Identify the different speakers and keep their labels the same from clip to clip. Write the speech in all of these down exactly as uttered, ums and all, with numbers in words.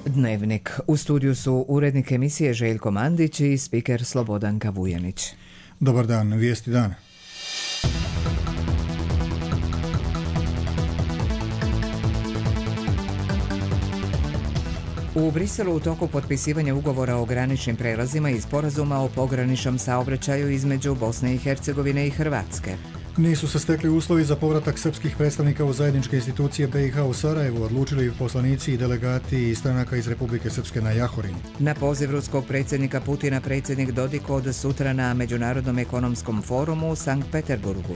Speaker 1: Dnevnik. U studiju su urednik emisije Željko Mandić i spiker Slobodanka Vujanić.
Speaker 2: Dobar dan, vijesti dana.
Speaker 1: U Briselu u toku potpisivanja ugovora o graničnim prelazima i sporazuma o pograničnom saobraćaju između Bosne i Hercegovine i Hrvatske.
Speaker 2: Nisu se stekli uslovi za povratak srpskih predstavnika u zajedničke institucije B i H u Sarajevu, odlučili poslanici i delegati i stranaka iz Republike Srpske na Jahorini.
Speaker 1: Na poziv ruskog predsjednika Putina predsjednik Dodik od sutra na Međunarodnom ekonomskom forumu u Sankt Peterburgu.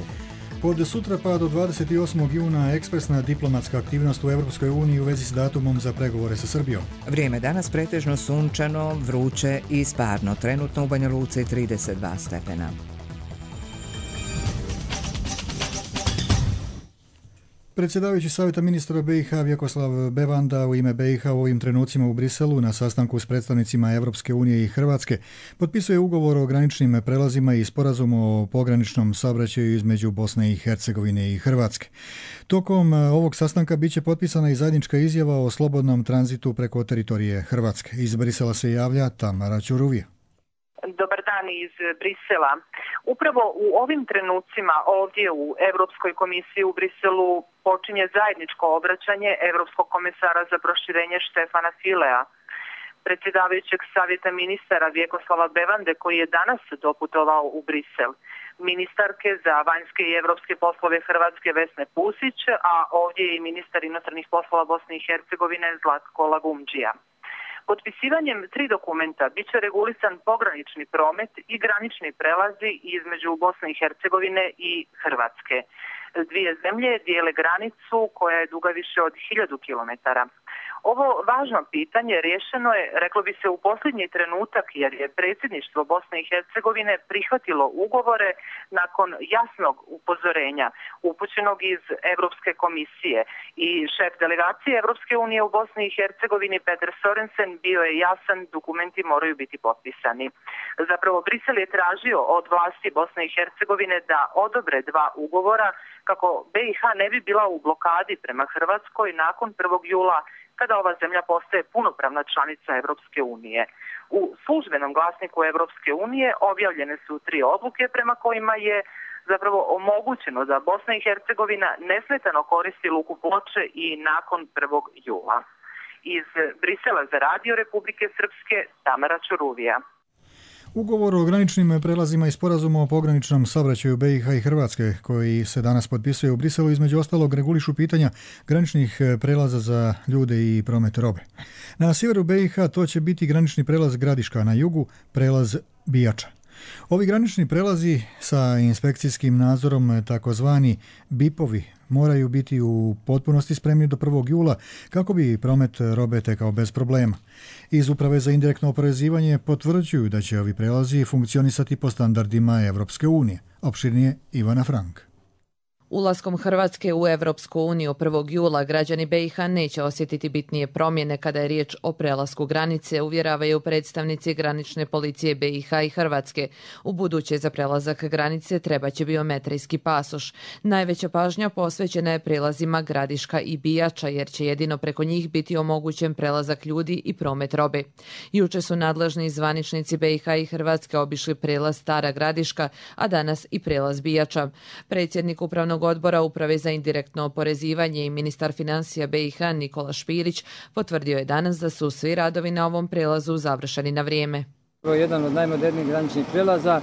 Speaker 2: Od sutra pa do dvadeset osmog juna ekspresna diplomatska aktivnost u Europskoj uniji u vezi s datumom za pregovore sa Srbijom.
Speaker 1: Vrijeme danas pretežno sunčano, vruće i sparno. Trenutno u Banja Luci trideset dva stepena.
Speaker 2: Predsjedavajući Savjeta ministra B i H Vjekoslav Bevanda u ime B i H u ovim trenucima u Briselu na sastanku s predstavnicima Europske unije i Hrvatske potpisuje ugovor o graničnim prelazima i sporazum o pograničnom saobraćaju između Bosne i Hercegovine i Hrvatske. Tokom ovog sastanka bit će potpisana i zajednička izjava o slobodnom tranzitu preko teritorije Hrvatske. Iz Brisela se javlja Tamara Ćuruvija.
Speaker 3: Dobar dan iz Brisela. Upravo u ovim trenucima ovdje u Europskoj komisiji u Briselu počinje zajedničko obraćanje Europskog komesara za proširenje Štefana Filea, predsjedavajućeg Savjeta ministara Vjekoslava Bevande koji je danas doputovao u Brisel, ministarke za vanjske i europske poslove Hrvatske Vesne Pusić, a ovdje je i ministar inostranih poslova Bosne i Hercegovine Zlatko Lagumdžija. Potpisivanjem tri dokumenta bit će regulisan pogranični promet i granični prelazi između Bosne i Hercegovine i Hrvatske. Dvije zemlje dijele granicu koja je duga više od hiljadu kilometara. Ovo važno pitanje rješeno je, reklo bi se, u posljednji trenutak jer je predsjedništvo Bosne i Hercegovine prihvatilo ugovore nakon jasnog upozorenja upućenog iz Europske komisije i šef delegacije Europske unije u Bosni i Hercegovini Peter Sorensen bio je jasan, dokumenti moraju biti potpisani. Zapravo Brisel je tražio od vlasti Bosne i Hercegovine da odobre dva ugovora kako B i H ne bi bila u blokadi prema Hrvatskoj nakon prvog jula kada ova zemlja postaje punopravna članica Europske unije. U službenom glasniku Europske unije objavljene su tri odluke prema kojima je zapravo omogućeno da Bosna i Hercegovina nesmetano koristi luku Ploče i nakon prvog jula. Iz Brisela za Radio Republike Srpske, Tamara Ćuruvija.
Speaker 2: Ugovor o graničnim prelazima i sporazumu o pograničnom saobraćaju B i H i Hrvatske, koji se danas potpisuje u Briselu, između ostalog regulišu pitanja graničnih prelaza za ljude i promet robe. Na sjeveru B i H to će biti granični prelaz Gradiška, na jugu prelaz Bijača. Ovi granični prelazi sa inspekcijskim nadzorom, takozvani bipovi, moraju biti u potpunosti spremni do prvog jula kako bi promet robe tekao bez problema. Iz Uprave za indirektno oporezivanje potvrđuju da će ovi prelazi funkcionisati po standardima Europske unije. Opširnije Ivana Frank.
Speaker 4: Ulaskom Hrvatske u Europsku uniju prvog jula građani B i H neće osjetiti bitnije promjene kada je riječ o prelasku granice, uvjeravaju predstavnici granične policije B i H i Hrvatske. U buduće za prelazak granice treba će biometrijski pasoš. Najveća pažnja posvećena je prelazima Gradiška i Bijača jer će jedino preko njih biti omogućen prelazak ljudi i promet robe. Juče su nadležni zvaničnici B i H i Hrvatske obišli prelaz Stara Gradiška, a danas i prelaz Bijača. Predsjednik upravnog odbora Uprave za indirektno oporezivanje i ministar financija B i H Nikola Špirić potvrdio je danas da su svi radovi na ovom prelazu završeni na vrijeme.
Speaker 5: Ovo je jedan od najmodernijih graničnih prelaza,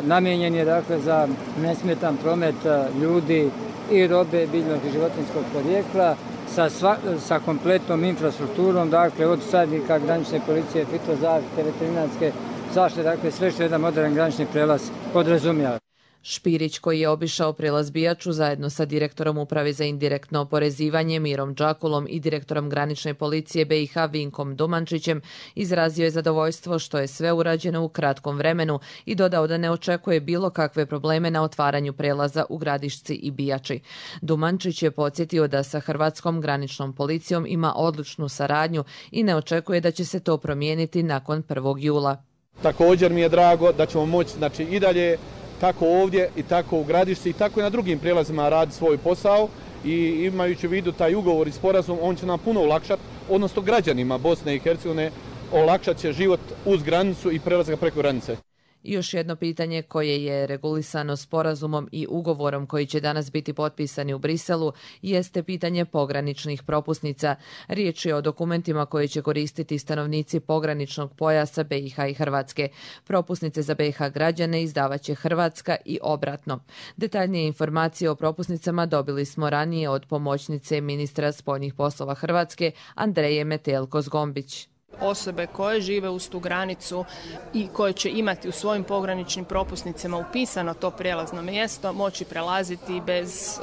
Speaker 5: namijenjen je dakle za nesmetan promet ljudi i robe biljnog i životinjskog porijekla sa, sva, sa kompletnom infrastrukturom, dakle od sadnika, granične policije, fitozaštite, veterinarske zaštite, dakle sve što jedan modern granični prelaz podrazumijeva.
Speaker 4: Špirić, koji je obišao prelaz Bijaču zajedno sa direktorom Uprave za indirektno oporezivanje Mirom Đakulom i direktorom granične policije B i H Vinkom Dumančićem, izrazio je zadovoljstvo što je sve urađeno u kratkom vremenu i dodao da ne očekuje bilo kakve probleme na otvaranju prelaza u Gradišci i Bijači. Dumančić je podsjetio da sa Hrvatskom graničnom policijom ima odličnu saradnju i ne očekuje da će se to promijeniti nakon prvog jula.
Speaker 6: Također mi je drago da ćemo moći znači, i dalje tako ovdje i tako u Gradišci i tako i na drugim prijelazima radi svoj posao i imajući u vidu taj ugovor i sporazum, on će nam puno olakšati odnosno građanima Bosne i Hercegovine, olakšat će život uz granicu i prelazak preko granice.
Speaker 4: I još jedno pitanje koje je regulisano sporazumom i ugovorom koji će danas biti potpisani u Briselu jeste pitanje pograničnih propusnica. Riječ je o dokumentima koje će koristiti stanovnici pograničnog pojasa B i H i Hrvatske. Propusnice za B i H građane izdavat će Hrvatska i obratno. Detaljnije informacije o propusnicama dobili smo ranije od pomoćnice ministra spoljnih poslova Hrvatske Andreje Metelko-Zgombić.
Speaker 7: Osobe koje žive uz tu granicu i koje će imati u svojim pograničnim propusnicama upisano to prijelazno mjesto moći prelaziti bez,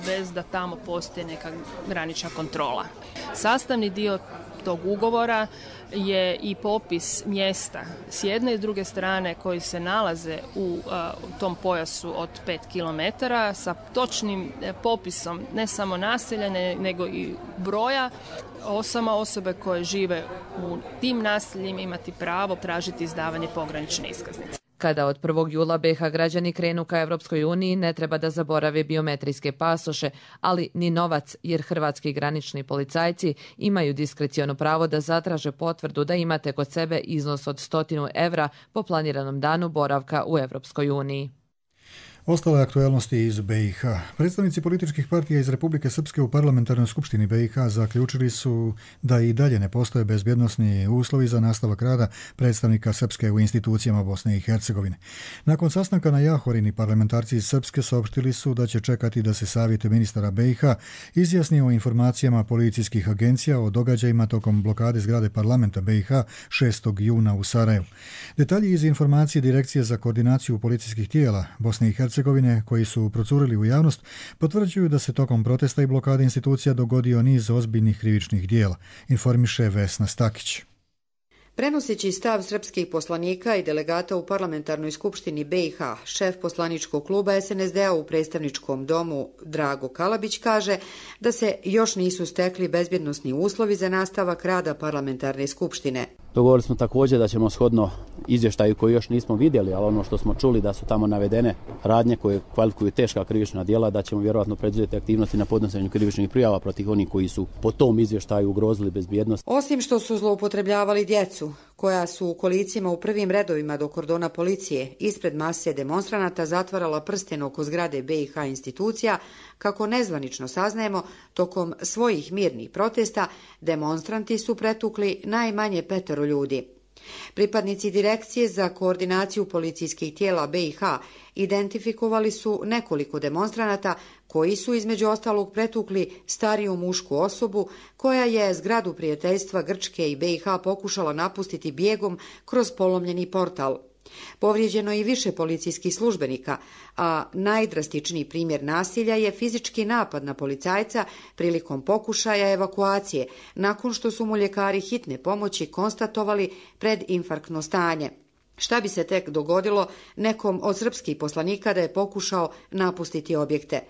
Speaker 7: bez da tamo postoji neka granična kontrola. Sastavni dio tog ugovora je i popis mjesta s jedne i druge strane koji se nalaze u, uh, u tom pojasu od pet kilometara sa točnim popisom ne samo naselja nego i broja osama osobe koje žive u tim naseljima imati pravo tražiti izdavanje pogranične iskaznice.
Speaker 4: Kada od prvog jula B i H građani krenu ka Europskoj uniji, ne treba da zaborave biometrijske pasoše, ali ni novac, jer hrvatski granični policajci imaju diskreciono pravo da zatraže potvrdu da imate kod sebe iznos od stotinu evra po planiranom danu boravka u Europskoj uniji.
Speaker 2: Ostale aktuelnosti iz B i H. Predstavnici političkih partija iz Republike Srpske u parlamentarnoj skupštini B i H zaključili su da i dalje ne postoje bezbjednosni uslovi za nastavak rada predstavnika Srpske u institucijama Bosne i Hercegovine. Nakon sastanka na Jahorini, parlamentarci iz Srpske saopštili su da će čekati da se savjet ministara B i H izjasni o informacijama policijskih agencija o događajima tokom blokade zgrade parlamenta B i H šestog juna u Sarajevu. Detalji iz informacije Direkcije za koordinaciju policijskih tijela Bosne i Hercegovine koji su procurili u javnost potvrđuju da se tokom protesta i blokade institucija dogodio niz ozbiljnih krivičnih dijela, informiše Vesna Stakić.
Speaker 8: Prenoseći stav srpskih poslanika i delegata u parlamentarnoj skupštini B i H, šef poslaničkog kluba S N S D-a u predstavničkom domu Drago Kalabić kaže da se još nisu stekli bezbjednosni uslovi za nastavak rada parlamentarne skupštine.
Speaker 9: Dogovorili smo također da ćemo shodno izvještaju koji još nismo vidjeli, ali ono što smo čuli da su tamo navedene radnje koje kvalifikuju teška krivična djela, da ćemo vjerojatno preduzeti aktivnosti na podnošenju krivičnih prijava protiv onih koji su po tom izvještaju ugrozili bezbjednost.
Speaker 8: Osim što su zloupotrebljavali djecu, koja su u kolicima u prvim redovima do kordona policije ispred mase demonstranata zatvarala prsten oko zgrade B i H institucija, kako nezvanično saznajemo, tokom svojih mirnih protesta demonstranti su pretukli najmanje petero ljudi. Pripadnici Direkcije za koordinaciju policijskih tijela B i H identifikovali su nekoliko demonstranata koji su između ostalog pretukli stariju mušku osobu koja je zgradu prijateljstva Grčke i B i H pokušala napustiti bijegom kroz polomljeni portal. Povrijeđeno je i više policijskih službenika, a najdrastičniji primjer nasilja je fizički napad na policajca prilikom pokušaja evakuacije, nakon što su mu ljekari hitne pomoći konstatovali predinfarktno stanje. Šta bi se tek dogodilo nekom od srpskih poslanika da je pokušao napustiti objekte?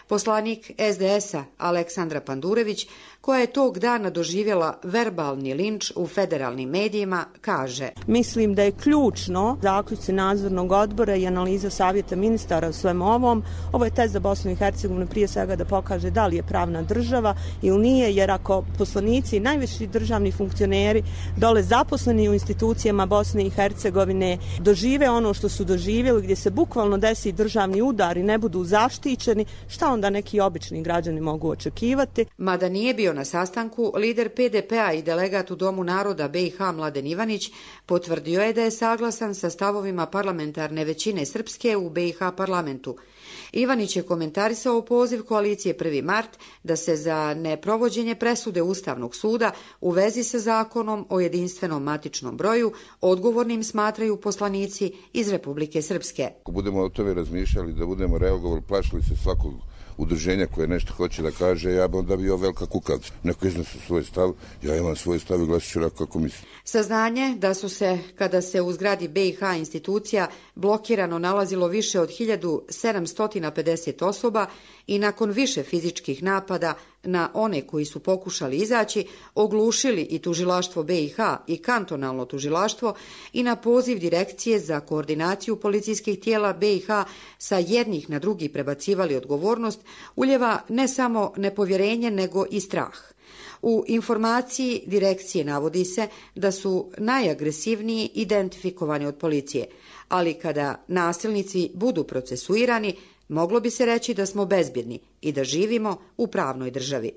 Speaker 8: Poslanik S D S-a Aleksandra Pandurević, koja je tog dana doživjela verbalni linč u federalnim medijima, kaže:
Speaker 10: Mislim da je ključno zaključci nadzornog odbora i analiza savjeta ministara u svem ovom. Ovo je test za Bosnu i Hercegovinu prije svega da pokaže da li je pravna država ili nije, jer ako poslanici i najviši državni funkcioneri dole zaposleni u institucijama Bosne i Hercegovine dožive ono što su doživjeli, gdje se bukvalno desi državni udar i ne budu zaštićeni, šta onda neki obični građani mogu očekivati?
Speaker 8: Mada nije bio na sastanku, lider P D P-a i delegat u Domu naroda B i H Mladen Ivanić potvrdio je da je saglasan sa stavovima parlamentarne većine Srpske u B i H parlamentu. Ivanić je komentarisao poziv koalicije prvi mart da se za neprovođenje presude Ustavnog suda u vezi sa zakonom o jedinstvenom matičnom broju odgovornim smatraju poslanici iz Republike Srpske.
Speaker 11: Ako budemo o tome razmišljali, da budemo reagovali, plašili se svakog udruženja koje nešto hoće da kaže, ja bi onda bio velika kukavica. Neko iznosi svoj stav, ja imam svoj stav i glasit ću kako mislim.
Speaker 8: Saznanje da su se, kada se u zgradi B i H institucija blokirano nalazilo više od hiljadu sedamsto pedeset osoba i nakon više fizičkih napada na one koji su pokušali izaći, oglušili i tužilaštvo B i H i kantonalno tužilaštvo i na poziv Direkcije za koordinaciju policijskih tijela B i H sa jednih na drugi prebacivali odgovornost, uljeva ne samo nepovjerenje nego i strah. U informaciji direkcije navodi se da su najagresivniji identifikovani od policije, ali kada nasilnici budu procesuirani, moglo bi se reći da smo bezbjedni i da živimo u pravnoj državi.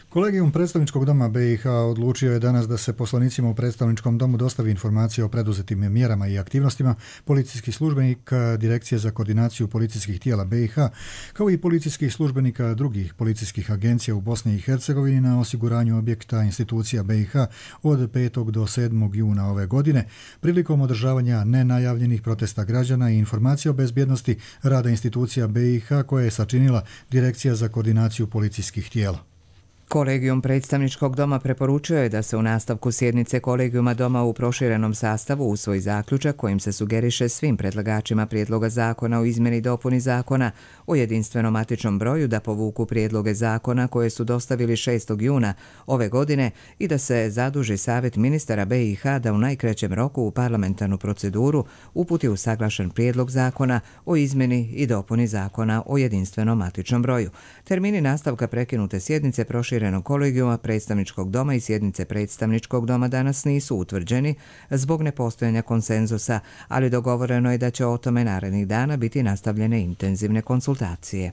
Speaker 2: Kolegijum predstavničkog doma B i H odlučio je danas da se poslanicima u predstavničkom domu dostavi informacije o preduzetim mjerama i aktivnostima policijskih službenika Direkcije za koordinaciju policijskih tijela B i H, kao i policijskih službenika drugih policijskih agencija u Bosni i Hercegovini na osiguranju objekta institucija B i H od petog do sedmog juna ove godine, prilikom održavanja nenajavljenih protesta građana i informacija o bezbjednosti rada institucija B i H koje je sačinila Direkcija za koordinaciju policijskih tijela.
Speaker 1: Kolegijum predstavničkog doma preporučio je da se u nastavku sjednice Kolegijuma doma u proširenom sastavu usvoji zaključak kojim se sugeriše svim predlagačima prijedloga zakona o izmjeni i dopuni zakona o jedinstvenom matičnom broju da povuku prijedloge zakona koje su dostavili šestog juna ove godine i da se zaduži Savjet ministara B i H da u najkraćem roku u parlamentarnu proceduru uputi usaglašen prijedlog zakona o izmjeni i dopuni zakona o jedinstvenom matičnom broju. Termini nastavka prekinute sjednice proširenog kolegijuma predstavničkog doma i sjednice predstavničkog doma danas nisu utvrđeni zbog nepostojanja konsenzusa, ali dogovoreno je da će o tome narednih dana biti nastavljene intenzivne konsultacije.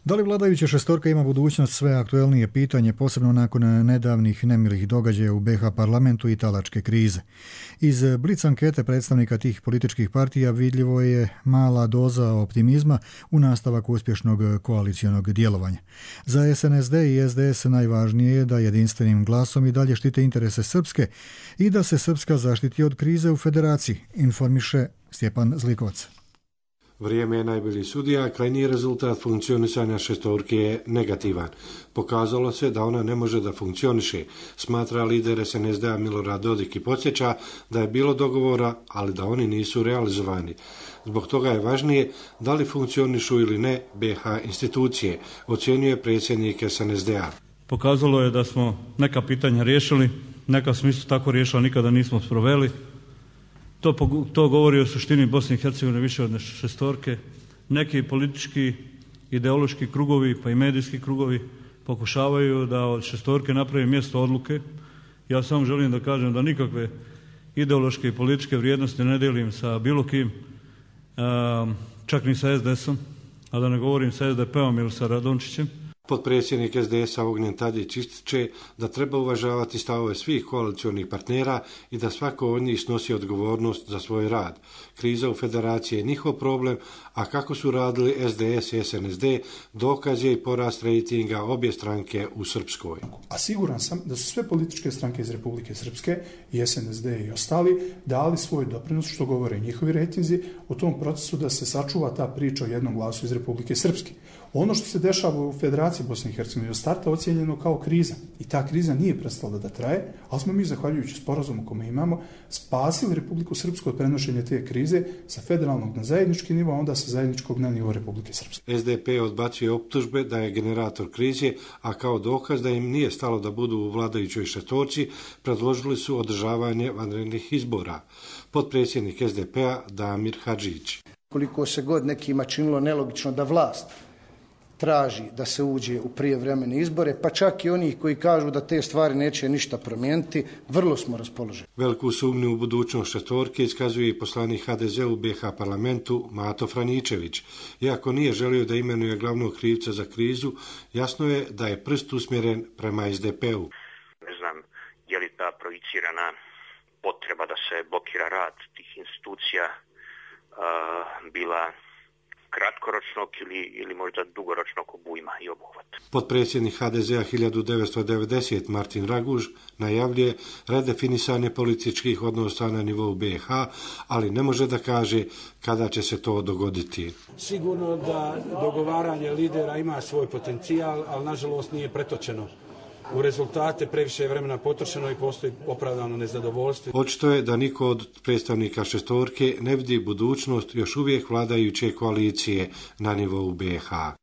Speaker 2: Da li vladajuća šestorka ima budućnost, sve aktuelnije pitanje, posebno nakon nedavnih nemilih događaja u B i H parlamentu i talačke krize. Iz blic ankete predstavnika tih političkih partija vidljivo je mala doza optimizma u nastavak uspješnog koalicijonog djelovanja. Za S N S D i S D S najvažnije je da jedinstvenim glasom i dalje štite interese Srpske i da se Srpska zaštiti od krize u federaciji, informiše Stjepan Zlikovac.
Speaker 12: Vrijeme je najbolji sudija, krajnji rezultat funkcionisanja šestorke je negativan. Pokazalo se da ona ne može da funkcioniše, smatra lider S N S D-a Milorad Dodik i podsjeća da je bilo dogovora, ali da oni nisu realizovani. Zbog toga je važnije da li funkcionišu ili ne B i H institucije, ocjenjuje predsjednik S N S D-a.
Speaker 13: Pokazalo je da smo neka pitanja riješili, neka smo isto tako riješili, nikada nismo sproveli. To, to govori o suštini Bosne i Hercegovine više od šestorke. Neki politički, ideološki krugovi pa i medijski krugovi pokušavaju da od šestorke naprave mjesto odluke. Ja samo želim da kažem da nikakve ideološke i političke vrijednosti ne delim sa bilo kim, čak ni sa S D S-om, a da ne govorim sa S D P-om ili sa Radončićem.
Speaker 12: Potpredsjednik S D S-a Ognjen Tadić ističe da treba uvažavati stavove svih koalicionih partnera i da svako od njih snosi odgovornost za svoj rad. Kriza u federaciji je njihov problem, a kako su radili S D S i S N S D, dokaz je i porast rejtinga obje stranke u Srpskoj.
Speaker 14: A siguran sam da su sve političke stranke iz Republike Srpske, i S N S D i ostali, dali svoj doprinos, što govore njihovi rejtinzi, u tom procesu da se sačuva ta priča o jednom glasu iz Republike Srpske. Ono što se dešava u Federaciji Bosne i Hercegovine od starta ocijenjeno kao kriza i ta kriza nije prestala da traje, ali smo mi, zahvaljujući sporazumu kome imamo, spasili Republiku Srpsku od prenošenja te krize sa federalnog na zajednički nivo, a onda sa zajedničkog na nivo Republike Srpske.
Speaker 12: S D P odbacuje optužbe da je generator krize, a kao dokaz da im nije stalo da budu u vladajućoj šestorci, predložili su održavanje vanrednih izbora. Potpredsjednik S D P-a Damir Hadžić.
Speaker 15: Koliko se god nekima činilo nelogično da vlast traži da se uđe u prijevremene izbore, pa čak i oni koji kažu da te stvari neće ništa promijeniti, vrlo smo raspoloženi.
Speaker 12: Veliku sumnju u budućnost šestorke iskazuje i poslanik H D Z u B i H parlamentu Mato Franičević. Iako nije želio da imenuje glavnog krivca za krizu, jasno je da je prst usmjeren prema S D P-u.
Speaker 16: Ne znam je li ta projicirana potreba da se blokira rad tih institucija uh, bila kratkoročnog ili, ili možda dugoročnog obujma i obuhvata.
Speaker 12: Potpredsjednik H D Z-a hiljadu devetsto devedesete Martin Raguž najavljuje redefinisanje političkih odnosa na nivou B i H, ali ne može da kaže kada će se to dogoditi.
Speaker 17: Sigurno da dogovaranje lidera ima svoj potencijal, ali nažalost nije pretočeno u rezultate, previše je vremena potrošeno i postoji opravdano nezadovoljstvo.
Speaker 12: Očito je da niko od predstavnika šestorke ne vidi budućnost još uvijek vladajuće koalicije na nivou B i H.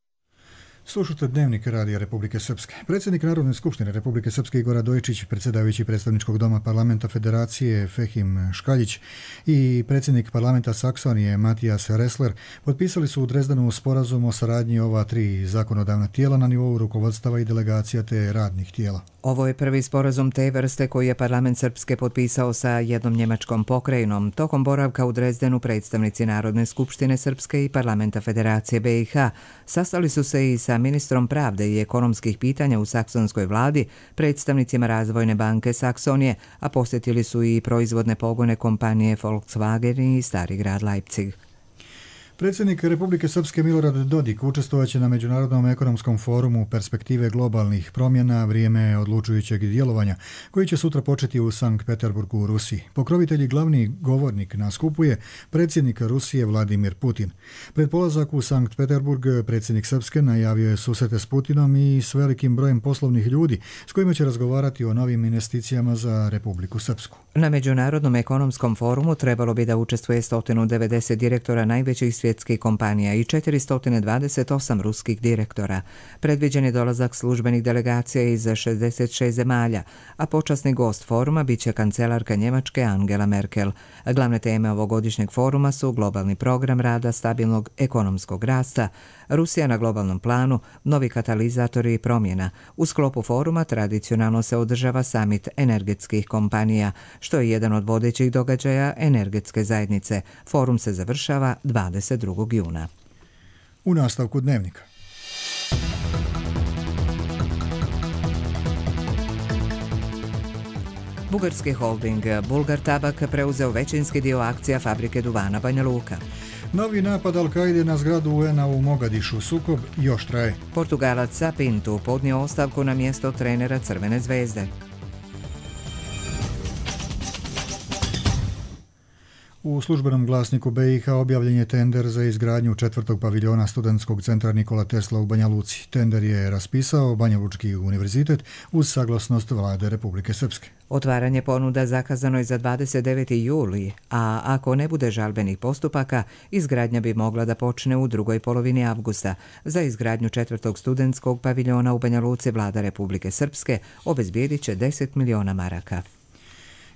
Speaker 2: Slušate Dnevnik Radija Republike Srpske. Predsjednik Narodne skupštine Republike Srpske Igor Radojičić, predsjedavajući predstavničkog doma parlamenta Federacije Fehim Škaljić i predsjednik parlamenta Saksonije Matijas Ressler potpisali su u Drezdenu sporazum o saradnji ova tri zakonodavna tijela na nivou rukovodstava i delegacija te radnih tijela.
Speaker 1: Ovo je prvi sporazum te vrste koji je parlament Srpske potpisao sa jednom njemačkom pokrajinom. Tokom boravka u Drezdenu predstavnici Narodne skupštine Srpske i parlamenta Federacije B i H sastali su se i sa ministrom pravde i ekonomskih pitanja u saksonskoj vladi, predstavnicima Razvojne banke Saksonije, a posjetili su i proizvodne pogone kompanije Volkswagen i Stari grad Leipzig.
Speaker 2: Predsjednik Republike Srpske Milorad Dodik učestvovaće na Međunarodnom ekonomskom forumu Perspektive globalnih promjena, vrijeme odlučujućeg djelovanja, koji će sutra početi u Sankt Peterburgu u Rusiji. Pokrovitelj i glavni govornik na skupu je predsjednik Rusije Vladimir Putin. Pred polazak u Sankt Peterburg predsjednik Srpske najavio je susrete s Putinom i s velikim brojem poslovnih ljudi s kojima će razgovarati o novim investicijama za Republiku Srpsku.
Speaker 1: Na Međunarodnom ekonomskom forumu trebalo bi da učestvuje sto devedeset direktora najvećih svjetskih kompanija i četiristo dvadeset osam ruskih direktora. Predviđen je dolazak službenih delegacija iz šezdeset šest zemalja, a počasni gost foruma biće kancelarka Njemačke Angela Merkel. Glavne teme ovogodišnjeg foruma su globalni program rada, stabilnog ekonomskog rasta, Rusija na globalnom planu, novi katalizatori i promjena. U sklopu foruma tradicionalno se održava samit energetskih kompanija, što je jedan od vodećih događaja energetske zajednice. Forum se završava dvadeset drugog juna.
Speaker 2: U nastavku Dnevnika.
Speaker 1: Bugarski holding Bulgar Tabak preuzeo većinski dio akcija fabrike duvana Banja Luka.
Speaker 2: Novi napad Al-Kaide na zgradu U N-a u Mogadišu, sukob još traje.
Speaker 1: Portugalac Sapinto podnio ostavku na mjesto trenera Crvene zvezde.
Speaker 2: U službenom glasniku B i H objavljen je tender za izgradnju četvrtog paviljona studentskog centra Nikola Tesla u Banja Luci. Tender je raspisao Banja Lučki univerzitet uz saglasnost vlade Republike Srpske.
Speaker 1: Otvaranje ponuda zakazano je za dvadeset deveti juli, a ako ne bude žalbenih postupaka, izgradnja bi mogla da počne u drugoj polovini avgusta. Za izgradnju četvrtog studentskog paviljona u Banja Luci vlada Republike Srpske obezbijedit će deset miliona maraka.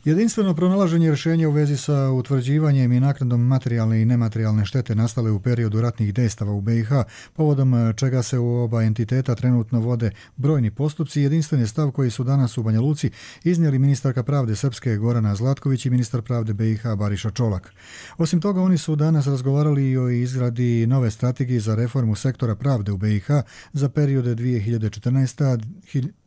Speaker 2: Jedinstveno pronalaženje rješenja u vezi sa utvrđivanjem i naknadom materijalne i nematerijalne štete nastale u periodu ratnih dejstava u B i H, povodom čega se u oba entiteta trenutno vode brojni postupci, jedinstven je stav koji su danas u Banja Luci iznijeli ministarka pravde Srpske Gorana Zlatković i ministar pravde B i H Bariša Čolak. Osim toga, oni su danas razgovarali i o izradi nove strategije za reformu sektora pravde u B i H za periode dvije hiljade četrnaesta do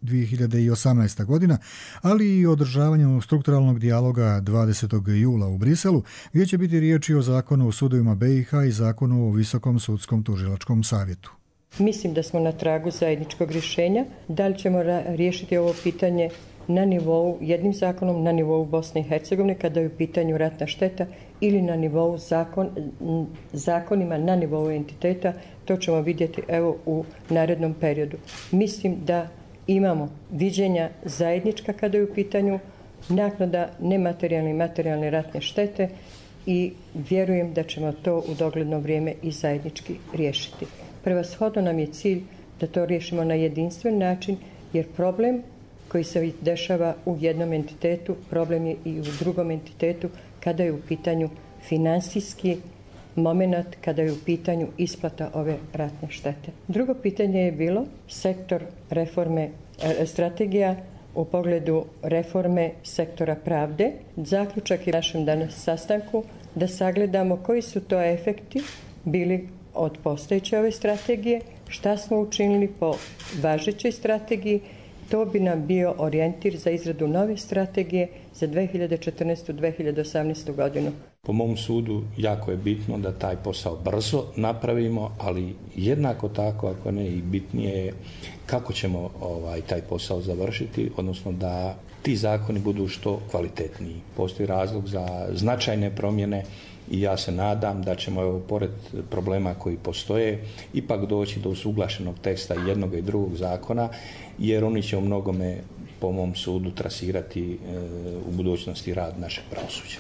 Speaker 2: dvije hiljade osamnaesta godina, ali i o održavanju strukturalnog dijaloga dvadesetog jula u Briselu, gdje će biti riječi o zakonu o sudovima B i H i zakonu o Visokom sudskom tužilačkom savjetu.
Speaker 18: Mislim da smo na tragu zajedničkog rješenja. Da li ćemo riješiti ovo pitanje na nivou, jednim zakonom na nivou Bosne i Hercegovine kada je u pitanju ratna šteta ili na nivou zakon, zakonima na nivou entiteta, to ćemo vidjeti evo u narednom periodu. Mislim da imamo viđenja zajednička kada je u pitanju naknada nematerijalne i materijalne ratne štete i vjerujem da ćemo to u dogledno vrijeme i zajednički riješiti. Prevashodno nam je cilj da to riješimo na jedinstven način, jer problem koji se dešava u jednom entitetu, problem je i u drugom entitetu kada je u pitanju finansijski moment, kada je u pitanju isplata ove ratne štete. Drugo pitanje je bilo sektor reforme, strategija u pogledu reforme sektora pravde. Zaključak je u našem danas sastanku da sagledamo koji su to efekti bili od postojeće ove strategije, šta smo učinili po važećoj strategiji. To bi nam bio orijentir za izradu nove strategije za dvije hiljade četrnaestu do dvije hiljade osamnaestu godinu.
Speaker 19: Po mom sudu jako je bitno da taj posao brzo napravimo, ali jednako tako, ako ne i bitnije je kako ćemo ovaj, taj posao završiti, odnosno da ti zakoni budu što kvalitetniji. Postoji razlog za značajne promjene i ja se nadam da ćemo, evo, pored problema koji postoje, ipak doći do usuglašenog teksta jednog i drugog zakona, jer oni će u mnogome, po mom sudu, trasirati e, u budućnosti rad našeg pravosuđa.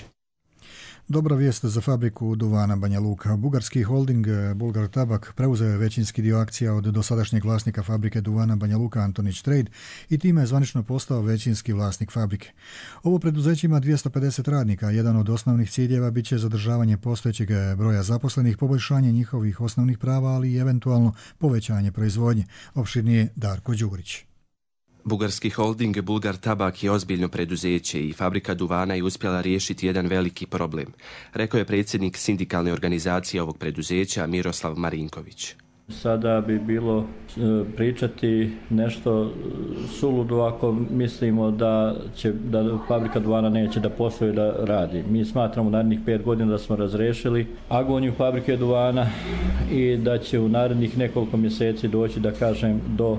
Speaker 2: Dobra vijest za fabriku duvana Banja Luka. Bugarski holding Bulgar Tabak preuzeo je većinski dio akcija od dosadašnjeg vlasnika fabrike duvana Banja Luka Antonić Trade i time je zvanično postao većinski vlasnik fabrike. Ovo preduzeće ima dvjesto pedeset radnika. Jedan od osnovnih ciljeva bit će zadržavanje postojećeg broja zaposlenih, poboljšanje njihovih osnovnih prava, ali i eventualno povećanje proizvodnje. Opširnije Darko Đurić.
Speaker 20: Bugarski holding Bulgar Tabak je ozbiljno preduzeće i fabrika duvana je uspjela riješiti jedan veliki problem, rekao je predsjednik sindikalne organizacije ovog preduzeća Miroslav Marinković.
Speaker 21: Sada bi bilo pričati nešto suludo ako mislimo da će da fabrika duvana neće da posluje da radi. Mi smatramo u narednih pet godina da smo razrešili agoniju fabrike duvana i da će u narednih nekoliko mjeseci doći, da kažem, do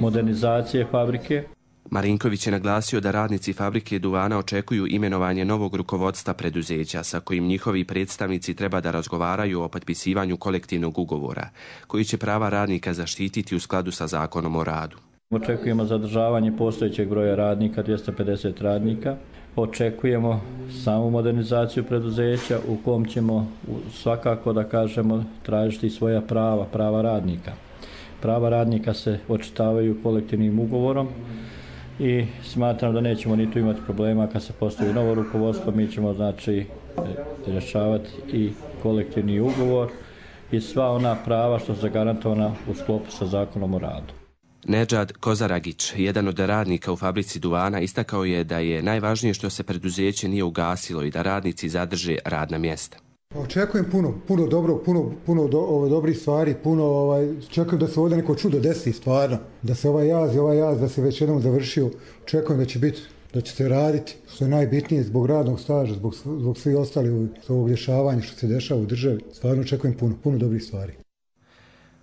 Speaker 21: modernizacije fabrike.
Speaker 20: Marinković je naglasio da radnici fabrike duvana očekuju imenovanje novog rukovodstva preduzeća sa kojim njihovi predstavnici treba da razgovaraju o potpisivanju kolektivnog ugovora, koji će prava radnika zaštititi u skladu sa zakonom o radu.
Speaker 21: Očekujemo zadržavanje postojećeg broja radnika, dvjesto pedeset radnika. Očekujemo samu modernizaciju preduzeća u kom ćemo svakako, da kažemo, tražiti svoja prava, prava radnika. Prava radnika se očitavaju kolektivnim ugovorom i smatram da nećemo ni tu imati problema kad se postavi novo rukovodstvo. Mi ćemo, znači, rješavati i kolektivni ugovor i sva ona prava što su zagarantovana u sklopu sa zakonom o radu.
Speaker 20: Nedžad Kozaragić, jedan od radnika u fabrici duvana, istakao je da je najvažnije što se preduzeće nije ugasilo i da radnici zadrže radna mjesta.
Speaker 22: Očekujem puno, puno dobro, puno, puno do, ove, dobrih stvari, puno, ovaj, čekujem da se ovdje neko čudo desi stvarno, da se ovaj jaz i ovaj jaz da se već jednom završio, očekujem da će biti, da će se raditi, što je najbitnije zbog radnog staža, zbog, zbog svih ostalih ovog rješavanja što se dešava u državi, stvarno očekujem puno, puno dobrih stvari.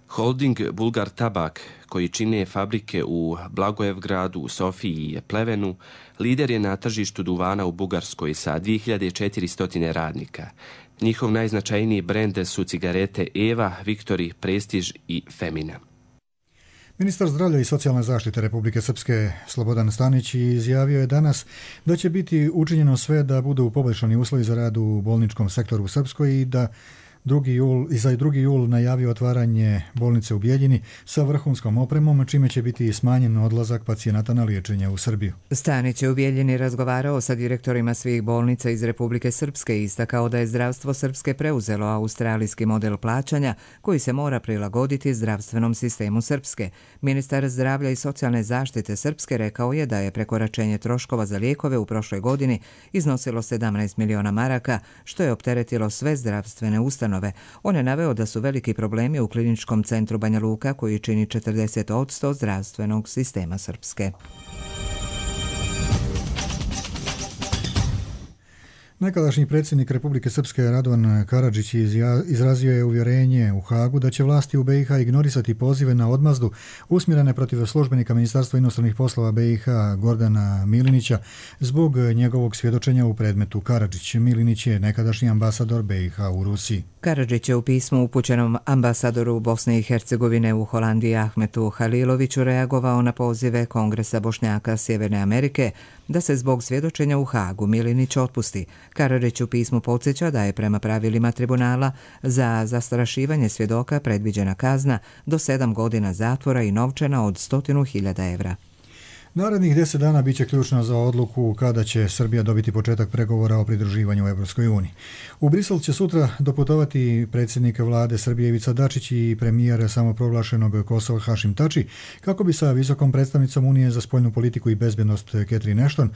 Speaker 20: Holding Bulgar Tabak, koji čine fabrike u Blagojevgradu, Sofiji i Plevenu, lider je na tržištu duvana u Bugarskoj sa dvije hiljade četiristo radnika. Njihov najznačajniji brend su cigarete Eva, Viktori, Prestiž i Femina.
Speaker 2: Ministar zdravlja i socijalne zaštite Republike Srpske Slobodan Stanić izjavio je danas da će biti učinjeno sve da budu poboljšani uslovi za rad u bolničkom sektoru u Srpskoj i da drugi jul, i za drugi jul najavio otvaranje bolnice u Bijeljini sa vrhunskom opremom, čime će biti smanjen odlazak pacijenata na liječenje u Srbiju.
Speaker 1: Stanić je u Bijeljini razgovarao sa direktorima svih bolnica iz Republike Srpske i istakao da je zdravstvo Srpske preuzelo australijski model plaćanja koji se mora prilagoditi zdravstvenom sistemu Srpske. Ministar zdravlja i socijalne zaštite Srpske rekao je da je prekoračenje troškova za lijekove u prošloj godini iznosilo sedamnaest miliona maraka, što je opteretilo sve zdravstvene ustanove. On je naveo da su veliki problemi u kliničkom centru Banja Luka koji čini četrdeset posto zdravstvenog sistema Srpske.
Speaker 2: Nekadašnji predsjednik Republike Srpske Radovan Karadžić izrazio je uvjerenje u Hagu da će vlasti u B i H ignorisati pozive na odmazdu usmjerene protiv službenika Ministarstva inostranih poslova B i H Gordana Milinića zbog njegovog svjedočenja u predmetu Karadžić. Milinić je nekadašnji ambasador B i H u Rusiji.
Speaker 1: Karadžić je u pismu upućenom ambasadoru Bosne i Hercegovine u Holandiji Ahmetu Haliloviću reagovao na pozive Kongresa Bošnjaka Sjeverne Amerike da se zbog svjedočenja u Hagu Milinić otpusti. Karadžić u pismu podsjeća da je prema pravilima tribunala za zastrašivanje svjedoka predviđena kazna do sedam godina zatvora i novčana od stotinu hiljada evra.
Speaker 2: Narednih deset dana bit će ključno za odluku kada će Srbija dobiti početak pregovora o pridruživanju u Evropskoj uniji. U Brisel će sutra doputovati predsjednik vlade Srbije Ivica Dačić i premijer samoproglašenog Kosova Hašim Tači kako bi sa visokom predstavnicom Unije za spoljnu politiku i bezbjednost Catherine Ashton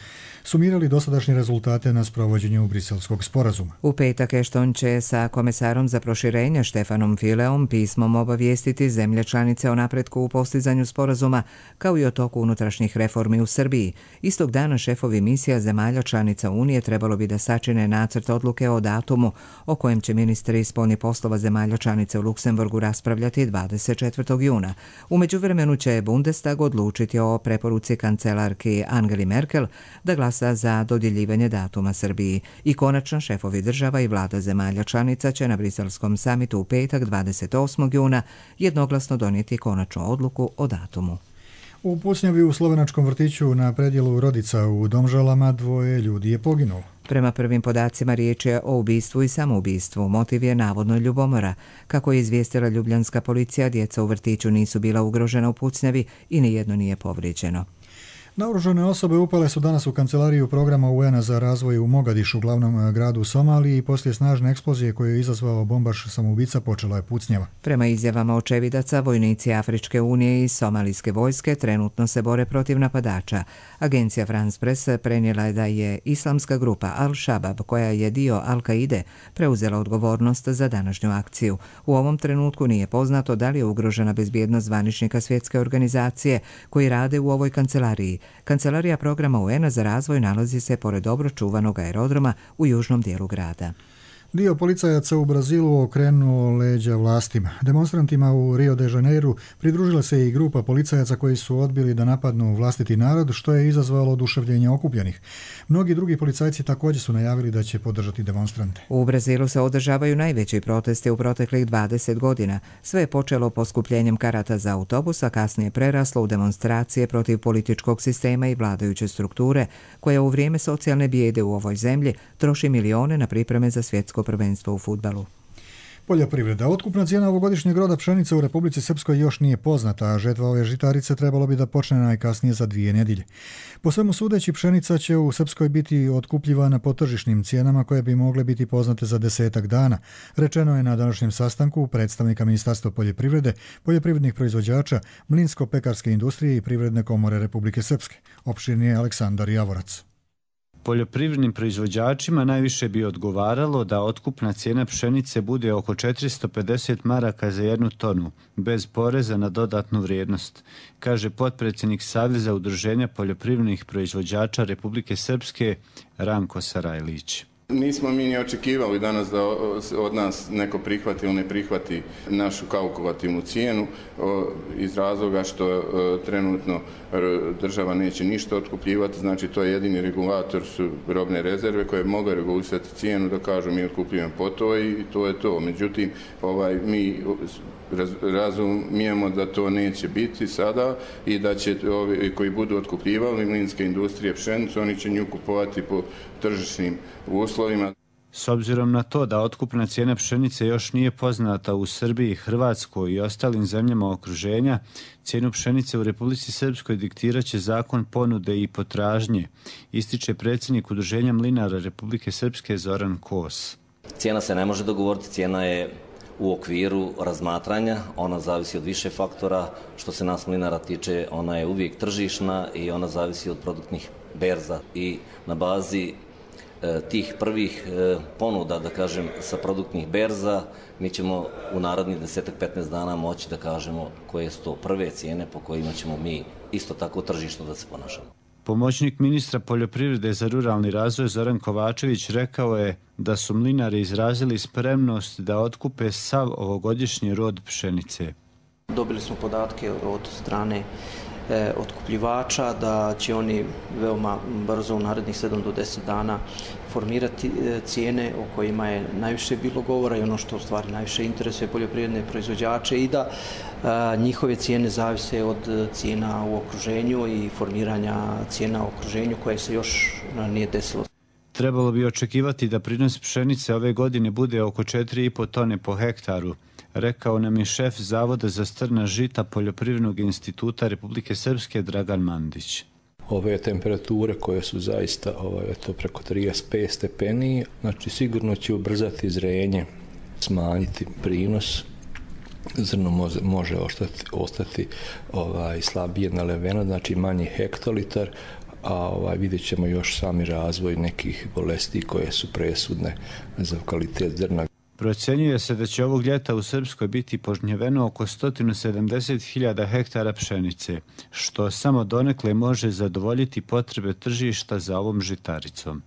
Speaker 2: sumirali dosadašnje rezultate na sprovođenju briselskog sporazuma.
Speaker 1: U petak Ashton će sa komesarom za proširenje Štefanom Fileom pismom obavijestiti zemlje članice o napretku u postizanju sporazuma kao i o toku unutrašnjih reformi u Srbiji. Istog dana šefovi misija zemalja članica Unije trebalo bi da sačine nacrt odluke o datumu o kojem će ministri spoljnih poslova zemalja članice u Luksemburgu raspravljati dvadeset četvrtog juna. U međuvremenu će Bundestag odlučiti o preporuci kancelarki Angeli Merkel da glasa za dodjeljivanje datuma Srbiji. I konačno šefovi država i vlada zemalja članica će na briselskom samitu u petak dvadeset osmog juna jednoglasno donijeti konačnu odluku o datumu.
Speaker 2: U pucnjavi u slovenačkom vrtiću na predjelu Rodica u Domžalama dvoje ljudi je poginulo.
Speaker 1: Prema prvim podacima riječ je o ubistvu i samoubistvu. Motiv je navodno ljubomora. Kako je izvijestila ljubljanska policija, djeca u vrtiću nisu bila ugrožena u pucnjavi i nijedno nije povrijeđeno.
Speaker 2: Naoružane osobe upale su danas u kancelariju programa U N-a za razvoj u Mogadišu, glavnom gradu u Somaliji, i poslije snažne eksplozije koju je izazvao bombaš samoubica počela je pucnjava.
Speaker 1: Prema izjavama očevidaca, vojnici Afričke unije i somalijske vojske trenutno se bore protiv napadača. Agencija France Press prenijela je da je islamska grupa Al-Shabaab, koja je dio Al-Kaide, preuzela odgovornost za današnju akciju. U ovom trenutku nije poznato da li je ugrožena bezbjednost zvaničnika svjetske organizacije koji rade u ovoj kancelariji. Kancelarija programa U N-a za razvoj nalazi se pored dobro čuvanog aerodroma u južnom dijelu grada.
Speaker 2: Dio policajaca u Brazilu okrenuo leđa vlastima. Demonstrantima u Rio de Janeiru pridružila se i grupa policajaca koji su odbili da napadnu vlastiti narod, što je izazvalo oduševljenje okupljenih. Mnogi drugi policajci također su najavili da će podržati demonstrante.
Speaker 1: U Brazilu se održavaju najveći protesti u proteklih dvadeset godina. Sve je počelo poskupljenjem karata za autobus, a kasnije preraslo u demonstracije protiv političkog sistema i vladajuće strukture, koja u vrijeme socijalne bijede u ovoj zemlji troši milione na pripreme za svjetsko prvenstvo u fudbalu.
Speaker 2: Poljoprivreda. Otkupna cijena ovogodišnjeg roda pšenice u Republici Srpskoj još nije poznata, a žetva ove žitarice trebalo bi da počne najkasnije za dvije nedjelje. Po svemu sudeći, pšenica će u Srpskoj biti otkupljivana po tržišnim cijenama koje bi mogle biti poznate za desetak dana. Rečeno je na današnjem sastanku predstavnika Ministarstva poljoprivrede, poljoprivrednih proizvođača, mlinsko-pekarske industrije i Privredne komore Republike Srpske. Opširnije Aleksandar Javorac.
Speaker 3: Poljoprivrednim proizvođačima najviše bi odgovaralo da otkupna cijena pšenice bude oko četiristo pedeset maraka za jednu tonu, bez poreza na dodatnu vrijednost, kaže potpredsjednik Saveza udruženja poljoprivrednih proizvođača Republike Srpske Ranko Sarajlić.
Speaker 5: Nismo mi ni očekivali danas da od nas neko prihvati ili ne prihvati našu kalkulativnu cijenu iz razloga što trenutno država neće ništa otkupljivati, znači to je jedini regulator su robne rezerve koje mogu regulisati cijenu da kažu mi otkupljujemo po to i to je to. Međutim, ovaj, mi razumijemo da to neće biti sada i da će ovi koji budu otkupljivali mlinske industrije pšenicu, oni će nju kupovati po tržišnim uslovima.
Speaker 3: S obzirom na to da otkupna cijena pšenice još nije poznata u Srbiji, Hrvatskoj i ostalim zemljama okruženja, cijenu pšenice u Republici Srpskoj diktiraće zakon ponude i potražnje, ističe predsjednik Udruženja mlinara Republike Srpske Zoran Kos.
Speaker 23: Cijena se ne može dogovoriti, cijena je u okviru razmatranja, ona zavisi od više faktora. Što se nas mlinara tiče, ona je uvijek tržišna i ona zavisi od produktnih berza i na bazi e, tih prvih e, ponuda, da kažem, sa produktnih berza, mi ćemo u narednih deset do petnaest dana moći da kažemo koje su to prve cijene po kojima ćemo mi isto tako tržišno da se ponašamo.
Speaker 3: Pomoćnik ministra poljoprivrede za ruralni razvoj Zoran Kovačević rekao je da su mlinari izrazili spremnost da otkupe sav ovogodišnji rod pšenice.
Speaker 24: Dobili smo podatke od strane e, otkupljivača da će oni veoma brzo u narednih sedam do deset dana formirati e, cijene o kojima je najviše bilo govora i ono što u stvari najviše interesuje poljoprivredne proizvođače i da a, njihove cijene zavise od cijena u okruženju i formiranja cijena u okruženju koje se još nije desilo.
Speaker 3: Trebalo bi očekivati da prinos pšenice ove godine bude oko četiri i po tone po hektaru, rekao nam je šef Zavoda za strna žita Poljoprivrednog instituta Republike Srpske Dragan Mandić.
Speaker 19: Ove temperature koje su zaista ovaj, to preko trideset pet stepeni, znači sigurno će ubrzati zrenje, smanjiti prinos. Zrno može, može ostati, ostati ovaj, slabije naleveno, znači manji hektolitar, a ovaj, vidjet ćemo još sami razvoj nekih bolesti koje su presudne za kvalitet zrna.
Speaker 3: Procjenjuje se da će ovog ljeta u Srpskoj biti požnjeveno oko sto sedamdeset hiljada hektara pšenice, što samo donekle može zadovoljiti potrebe tržišta za ovom žitaricom.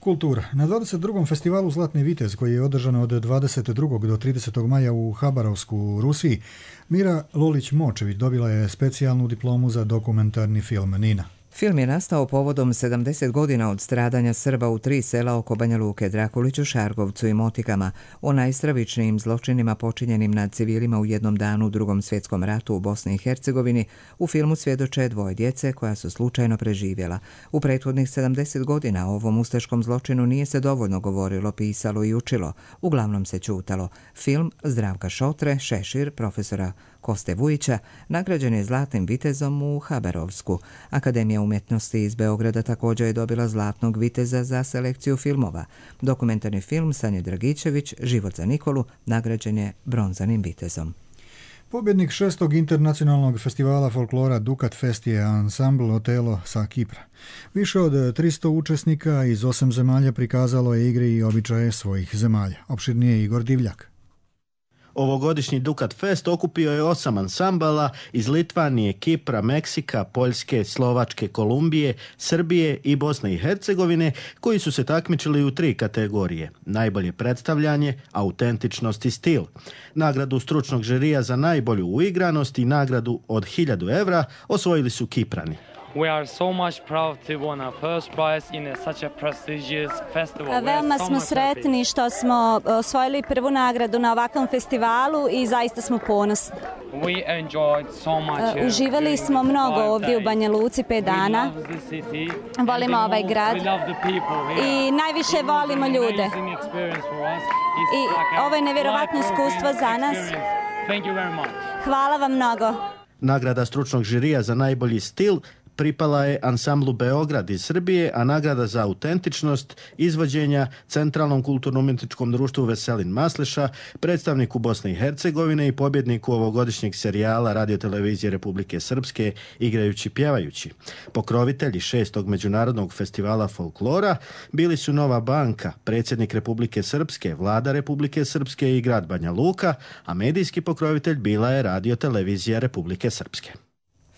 Speaker 2: Kultura. Na dvadeset drugom festivalu Zlatni vitez, koji je održan od dvadeset drugog do tridesetog maja u Habarovsku u Rusiji, Mira Lolić-Močević dobila je specijalnu diplomu za dokumentarni film Nina.
Speaker 1: Film je nastao povodom sedamdeset godina od stradanja Srba u tri sela oko Banja Luke, Drakuliću, Šargovcu i Motikama, o najstravičnijim zločinima počinjenim nad civilima u jednom danu u Drugom svjetskom ratu u Bosni i Hercegovini. U filmu svjedoče dvoje djece koja su slučajno preživjela. U prethodnih sedamdeset godina o ovom ustaškom zločinu nije se dovoljno govorilo, pisalo i učilo. Uglavnom se ćutalo. Film Zdravka Šotre, Šešir, profesora Koste Vujića, nagrađen je Zlatnim vitezom u Haberovsku. Akademija umjetnosti iz Beograda također je dobila Zlatnog viteza za selekciju filmova. Dokumentarni film Sanje Dragičević, Život za Nikolu, nagrađen je Bronzanim vitezom.
Speaker 2: Pobjednik šestog internacionalnog festivala folklora Dukat Fest je ansambl Otelo sa Kipra. Više od tristo učesnika iz osam zemalja prikazalo je igre i običaje svojih zemalja. Opširnije Igor Divljak.
Speaker 4: Ovogodišnji Dukat Fest okupio je osam ansambala iz Litvanije, Kipra, Meksika, Poljske, Slovačke, Kolumbije, Srbije i Bosne i Hercegovine, koji su se takmičili u tri kategorije: najbolje predstavljanje, autentičnost i stil. Nagradu stručnog žirija za najbolju uigranost i nagradu od hiljadu evra osvojili su Kiprani.
Speaker 6: We are so much proud to win our first prize in a, such a prestigious festival.
Speaker 7: Veoma smo sretni što smo osvojili prvu nagradu na ovakvom festivalu i zaista smo ponosni.
Speaker 6: We enjoyed so much.
Speaker 7: Uživali smo mnogo ovdje u Banja Luci pet dana. Volimo ovaj grad i najviše volimo ljude. I ovo je nevjerovatno iskustvo za nas. Hvala vam mnogo.
Speaker 4: Nagrada stručnog žirija za najbolji stil pripala je ansamblu Beograd iz Srbije, a nagrada za autentičnost izvođenja Centralnom kulturno-umjetničkom društvu Veselin Masleša, predstavniku Bosne i Hercegovine i pobjedniku ovogodišnjeg serijala Radiotelevizije Republike Srpske Igrajući pjevajući. Pokrovitelji šestog međunarodnog festivala folklora bili su Nova banka, predsjednik Republike Srpske, vlada Republike Srpske i grad Banja Luka, a medijski pokrovitelj bila je Radiotelevizija Republike Srpske.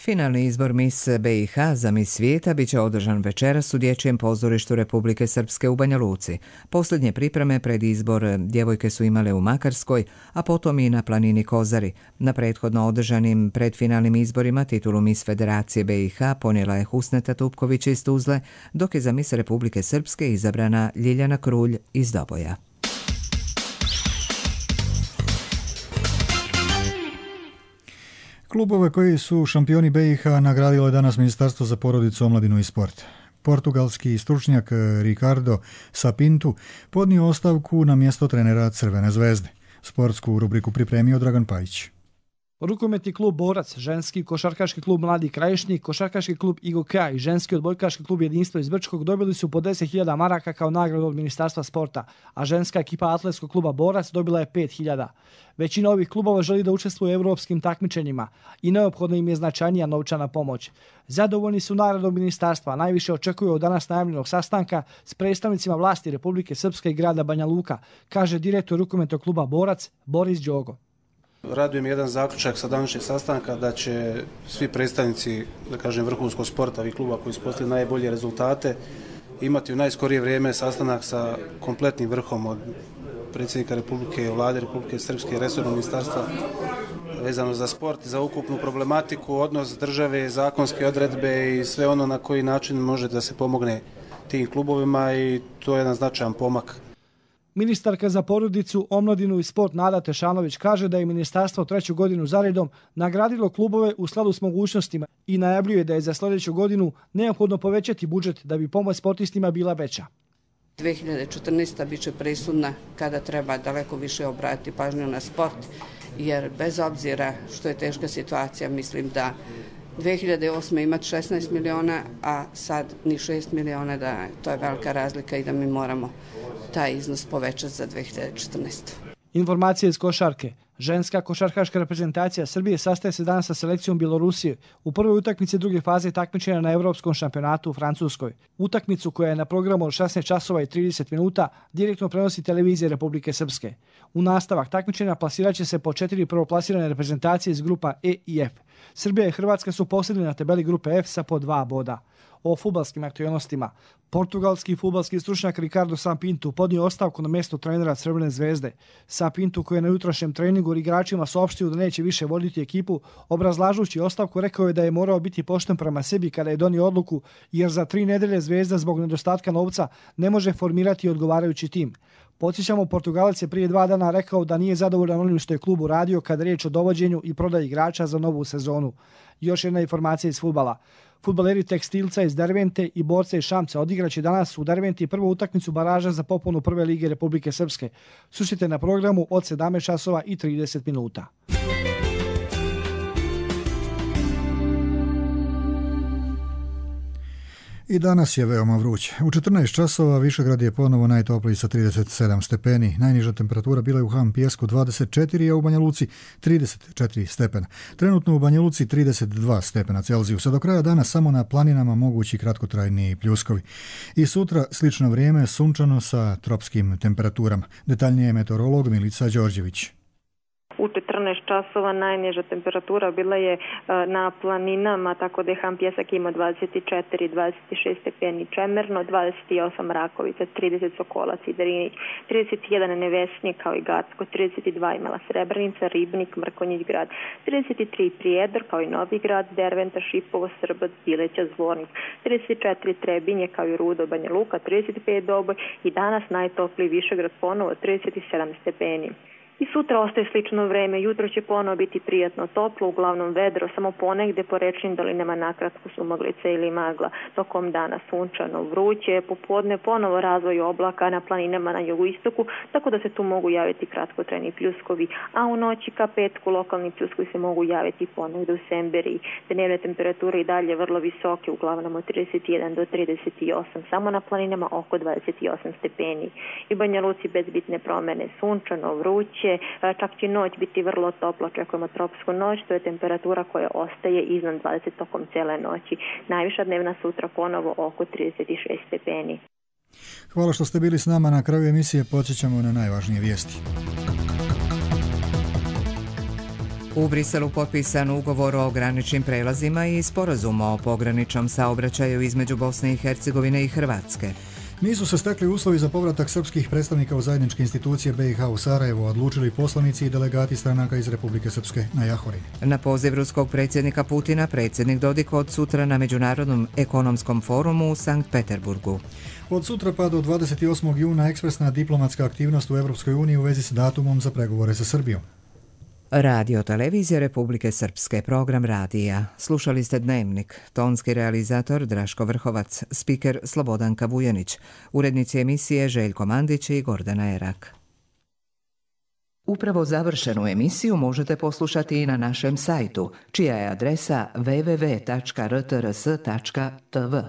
Speaker 1: Finalni izbor Mis B i H za Mis svijeta biće održan večeras u Dječjem pozorištu Republike Srpske u Banja Luci. Posljednje pripreme pred izbor djevojke su imale u Makarskoj, a potom i na planini Kozari. Na prethodno održanim predfinalnim izborima titulu Mis Federacije B i H ponijela je Husneta Tupković iz Tuzle, dok je za Mis Republike Srpske izabrana Ljiljana Krulj iz Doboja.
Speaker 2: Klubove koji su šampioni B i H nagradilo je danas Ministarstvo za porodicu, omladinu i sport. Portugalski stručnjak Ricardo Sapintu podnio ostavku na mjesto trenera Crvene zvezde. Sportsku rubriku pripremio Dragan Pajić.
Speaker 9: Rukometni klub Borac, ženski košarkaški klub Mladi Krajišnik, košarkaški klub Igoka i ženski odbojkaški klub Jedinstvo iz Brčkog dobili su po deset hiljada maraka kao nagradu od Ministarstva sporta, a ženska ekipa atletskog kluba Borac dobila je pet hiljada. Većina ovih klubova želi da učestvuje u evropskim takmičenjima i neophodna im je značajnija novčana pomoć. Zadovoljni su nagradom ministarstva, najviše očekuju od danas najavljenog sastanka s predstavnicima vlasti Republike Srpske i grada Banja Luka, kaže direktor rukometnog kluba Borac Boris Đogo.
Speaker 25: Raduje mi jedan zaključak sa današnjeg sastanka da će svi predstavnici, da kažem, vrhunskog sporta ovih kluba koji su postigli najbolje rezultate imati u najskorije vrijeme sastanak sa kompletnim vrhom od predsjednika Republike, vlade Republike Srpske i resornog ministarstva vezano za sport, za ukupnu problematiku, odnos države, zakonske odredbe i sve ono na koji način može da se pomogne tim klubovima i to je jedan značajan pomak.
Speaker 9: Ministarka za porodicu, omladinu i sport Nada Tešanović kaže da je ministarstvo treću godinu zaredom nagradilo klubove u skladu s mogućnostima i najavljuje da je za sljedeću godinu neophodno povećati budžet da bi pomoć sportistima bila veća.
Speaker 26: dvije hiljade četrnaesta. bit će presudna kada treba daleko više obratiti pažnju na sport, jer bez obzira što je teška situacija, mislim da dvije hiljade osme. imati šesnaest miliona, a sad ni šest miliona, da to je velika razlika i da mi moramo taj iznos povećati za dvije hiljade četrnaestu.
Speaker 9: Informacije iz košarke. Ženska košarkaška reprezentacija Srbije sastaje se danas sa selekcijom Bjelorusije u prvoj utakmici druge faze takmičenja na Evropskom šampionatu u Francuskoj. Utakmicu koja je na programu od šesnaest časova i trideset minuta direktno prenosi televizija Republike Srpske. U nastavak takmičenja plasiraće se po četiri prvoplasirane reprezentacije iz grupa E i F. Srbija i Hrvatska su posljednji na tabeli grupe F sa po dva boda. o fudbalskim aktualnostima. Portugalski fudbalski stručnjak Ricardo Sapinto podnio ostavku na mjesto trenera Crvene zvezde. Sapinto, koji je na jutrašnjem treningu igračima saopštio da neće više voditi ekipu, obrazlažući ostavku rekao je da je morao biti pošten prema sebi kada je donio odluku, jer za tri nedelje Zvezda zbog nedostatka novca ne može formirati odgovarajući tim. Podsjećamo, Portugalac je prije dva dana rekao da nije zadovoljan onim što je klub uradio kada je riječ o dovođenju i prodaji igrača za novu sezonu. Još jedna informacija iz fudbala. Fudbaleri Tekstilca iz Dervente i borce iz Šamca odigraće danas u Derventi prvu utakmicu baraža za popunu Prve lige Republike Srpske. Slušajte na programu od sedamnaest časova i trideset minuta.
Speaker 2: I danas je veoma vruće. U četrnaest časova Višegrad je ponovo najtopliji sa trideset sedam stepeni. Najniža temperatura bila je u Han Pijesku dvadeset četiri, a u Banja Luci trideset četiri stepena. Trenutno u Banja Luci trideset dva stepena Celzijusa. Do kraja dana samo na planinama mogući kratkotrajni pljuskovi. I sutra slično vrijeme, sunčano sa tropskim temperaturama. Detaljnije meteorolog Milica Đorđević.
Speaker 8: U četrnaest časova najniža temperatura bila je na planinama, tako da je Han Pijesak imao dvadeset četiri, dvadeset šest stepeni Čemerno, dvadeset osam Rakovica, trideset Sokolac i Drinić, trideset jedan Nevesnik kao i Gacko, trideset dva imala Srebrenica, Ribnik, Mrkonjić grad, trideset tri Prijedor kao i Novi grad, Derventa, Šipovo, Srbac, Bileća, Zvornik, trideset četiri Trebinje kao i Rudo, Banja Luka, trideset pet Doboj i danas najtopliji Višegrad ponovo trideset sedam stepeni. I sutra ostaje slično vreme, jutro će ponovo biti prijatno toplo, uglavnom vedro, samo ponegde po rečnim dolinama nakratko su maglice ili magla, tokom dana sunčano, vruće, popodne ponovo razvoj oblaka na planinama na jugoistoku, tako da se tu mogu javiti kratkotrajni pljuskovi, a u noći ka petku lokalni pljuskovi se mogu javiti ponegde u Semberiji. Dnevne temperature i dalje vrlo visoke, uglavnom od trideset jedan do trideset osam, samo na planinama oko dvadeset osam stepeni. I Banja Luci bez bitne promene, sunčano, vruće, čak će noć biti vrlo toplo, očekujemo tropsku noć, to je temperatura koja ostaje iznad dvadeset tokom cijele noći. Najviša dnevna sutra ponovo oko trideset šest stepeni.
Speaker 2: Hvala što ste bili s nama. Na kraju emisije podsjećamo na najvažnije vijesti.
Speaker 1: U Briselu potpisan ugovor o graničnim prelazima i sporazum o pograničnom saobraćaju između Bosne i Hercegovine i Hrvatske.
Speaker 2: Nisu se stekli uslovi za povratak srpskih predstavnika u zajedničke institucije B i H u Sarajevo, odlučili poslanici i delegati stranaka iz Republike Srpske na Jahorini.
Speaker 1: Na poziv ruskog predsjednika Putina, predsjednik Dodik od sutra na Međunarodnom ekonomskom forumu u Sankt Peterburgu.
Speaker 2: Od sutra pa do dvadeset osmog juna ekspresna diplomatska aktivnost u Europskoj uniji u vezi s datumom za pregovore sa Srbijom.
Speaker 1: Radio Televizija Republike Srpske, program radija. Slušali ste Dnevnik, tonski realizator Draško Vrhovac, spiker Slobodanka Vujanić, urednici emisije Željko Mandić i Gordana Erak. Upravo završenu emisiju možete poslušati i na našem sajtu, čija je adresa w w w tačka r t r s tačka t v.